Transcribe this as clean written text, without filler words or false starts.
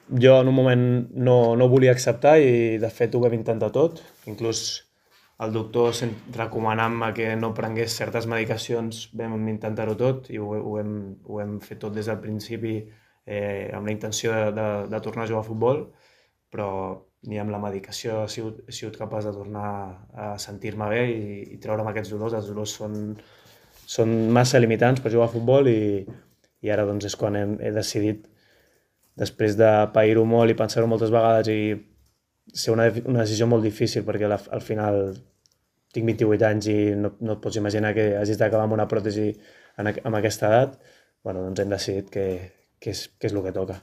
Jo en un moment no ho volia acceptar i de fet ho vam intentar tot. Inclús el doctor recomanant-me que no prengués certes medicacions vam intentar-ho tot i ho hem fet tot des del principi amb la intenció de tornar a jugar a futbol, però ni amb la medicació he sigut capaç de tornar a sentir-me bé i treure'm aquests dolors. Els dolors són massa limitants per jugar a futbol i ara doncs és quan he decidit, després de pair-ho molt i pensar-ho moltes vegades i ser una decisió molt difícil perquè al final tinc 28 anys i no et pots imaginar que hagis d'acabar amb una pròtesi amb aquesta edat, bueno, doncs hem decidit que és el que toca.